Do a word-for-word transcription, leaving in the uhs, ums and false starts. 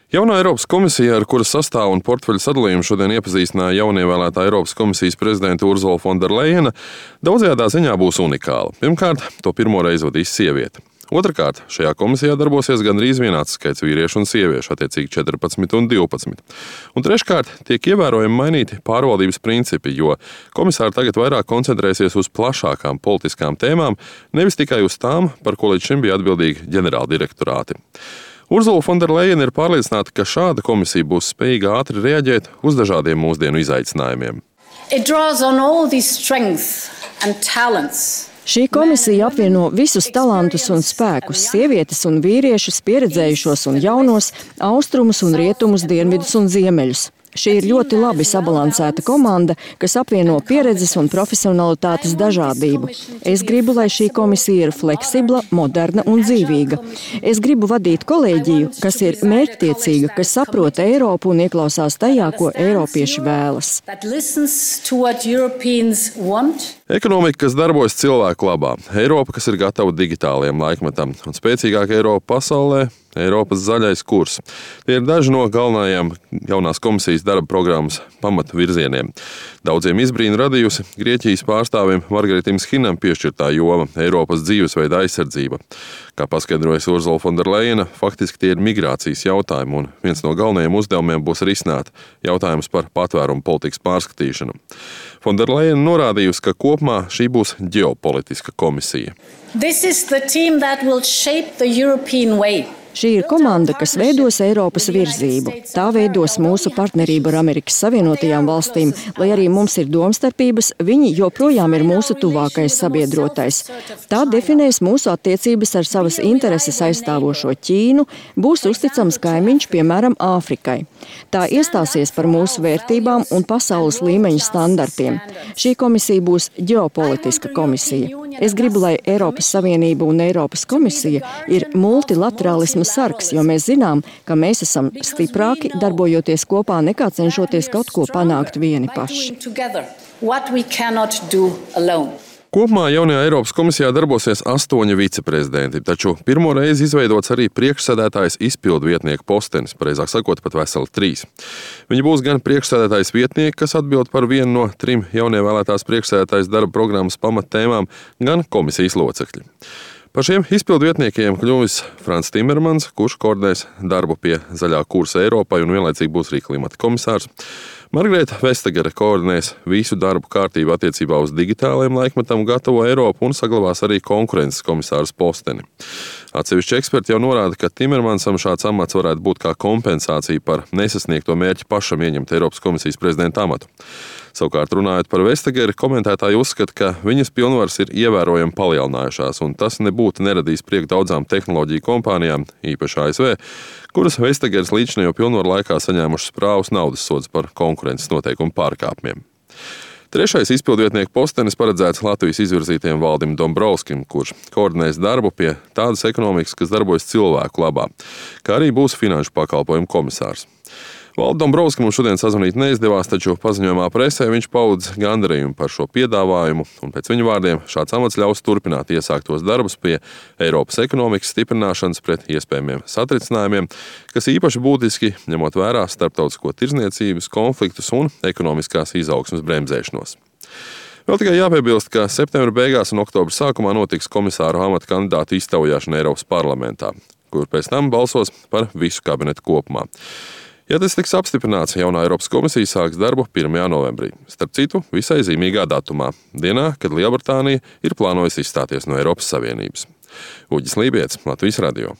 Jaunā Eiropas komisija, ar kuras sastāvu un portfeļu sadalījumu šodien iepazīstināja jaunievēlētā Eiropas komisijas prezidenta Urzula Fonderlejena, daudzajādā ziņā būs unikāla. Pirmkārt, to pirmo reizi vadīs sieviete. Otrakārt, šajā komisijā darbosies gandrīz vienāds skaits vīriešu un sieviešu, attiecīgi četrpadsmit un divpadsmit. Un treškārt, tiek ievērojami mainīti pārvaldības principi, jo komisāri tagad vairāk koncentrēsies uz plašākām politiskām tēmām, nevis tikai uz tām, par ko līdz šim bija atbildīgi ģenerāldirektorāti. Urzula Fonderlejena ir pārliecināta, ka šāda komisija būs spējīga ātri reaģēt uz dažādiem mūsdienu izaicinājumiem. Šī komisija apvieno visus talantus un spēkus, sievietes un vīriešus, pieredzējušos un jaunos, austrumus un rietumus, dienvidus un ziemeļus. Šī ir ļoti labi sabalansēta komanda, kas apvieno pieredzes un profesionalitātes dažādību. Es gribu, lai šī komisija ir fleksibla, moderna un dzīvīga. Es gribu vadīt kolēģiju, kas ir mērķtiecīga, kas saprot Eiropu un ieklausās tajā, ko eiropieši vēlas. Ekonomika, kas darbojas cilvēku labā, Eiropa, kas ir gatava digitālajiem laikmetam, un spēcīgāka Eiropa pasaulē, Eiropas zaļais kurs. Tie ir daži no galvenajiem jaunās komisijas darba programmas pamatvirzieniem. Daudziem izbrīnu radījusi Grieķijas pārstāvim Margaritim Shinam piešķirtā joma – Eiropas dzīvesveida aizsardzība. Kā paskaidrojas Urzula Fonderlejena, faktiski tie ir migrācijas jautājumi, un viens no galvenajiem uzdevumiem būs risināt jautājums par patvērumu politikas pārskatīšanu. Fonderlejena norādījusi, ka kopumā šī būs ģeopolitiska komisija. This is the team that will shape the European way. Šī ir komanda, kas veidos Eiropas virzību. Tā veidos mūsu partnerību ar Amerikas Savienotajām valstīm, lai arī mums ir domstarpības, viņi joprojām ir mūsu tuvākais sabiedrotais. Tā definēs mūsu attiecības ar savas intereses aizstāvošo Ķīnu, būs uzticams kaimiņš, piemēram, Āfrikai. Tā iestāsies par mūsu vērtībām un pasaules līmeņa standartiem. Šī komisija būs ģeopolitiska komisija. Es gribu, lai Eiropas Savienība un Eiropas komisija ir multilaterālisma sargs, jo mēs zinām, ka mēs esam stiprāki, darbojoties kopā, nekā cenšoties kaut ko panākt vieni paši. Kopumā jaunajā Eiropas komisijā darbosies astoņi viceprezidenti, taču pirmo reizi izveidots arī priekšsēdētājs izpildu vietnieku postenis, pareizāk sakot, pat veseli trīs. Viņi būs gan priekšsēdētājs vietnieki, kas atbild par vienu no trim jaunievēlētās priekšsēdētājas darba programmas pamattēmām, gan komisijas locekļi. Par šiem izpildu vietniekiem kļuvis Frans Timermans, kurš koordinēs darbu pie zaļā kursa Eiropai un vienlaicīgi būs arī klimata komisārs. Margareta Vestagere koordinēs visu darbu kārtību attiecībā uz digitālajiem laikmetam gatavo Eiropu un saglabās arī konkurences komisāras posteni. Atsevišķi eksperti jau norāda, ka Timermansam šāds amats varētu būt kā kompensācija par nesasniegto mērķi pašam ieņemt Eiropas komisijas prezidenta amatu. Savukārt, runājot par Vestageri, komentētāji uzskata, ka viņas pilnvaras ir ievērojami palielinājušās, un tas nebūtu neradīs prieku daudzām tehnoloģiju kompānijām, īpaši A S V, kuras Vestageres līdzinējo pilnvaru laikā saņēmušas prāvus naudas sodus par konkurences noteikumu pārkāpumiem. Trešais izpildvietnieku postenis paredzēts Latvijas izvirzītajam Valdim Dombrovskim, kurš koordinēs darbu pie tādas ekonomikas, kas darbojas cilvēku labā, kā arī būs finanšu pakalpojumu komisārs. Valdim Dombrovskim mums šodien sazvanīt neizdevās, taču paziņojumā presē viņš paudz gandarījumu par šo piedāvājumu, un pēc viņa vārdiem šāds amats ļaus turpināt iesāktos darbus pie Eiropas ekonomikas stiprināšanas pret iespējamiem satricinājumiem, kas īpaši būtiski ņemot vērā starptautisko tirdzniecības, konfliktus un ekonomiskās izaugsmes bremzēšanos. Vēl tikai jāpiebilst, ka septembra beigās un oktobra sākumā notiks komisāru amata kandidātu iztaujāšana Eiropas parlamentā, kur pēc tam balsos par visu kabinetu kopumā. Ja tas tiks apstiprināts, jaunā Eiropas komisija sāks darbu pirmajā novembrī. Starp citu, visai zīmīgā datumā, dienā, kad Lielbritānija ir plānojusi izstāties no Eiropas Savienības. Uģis Lībijets, Latvijas radio.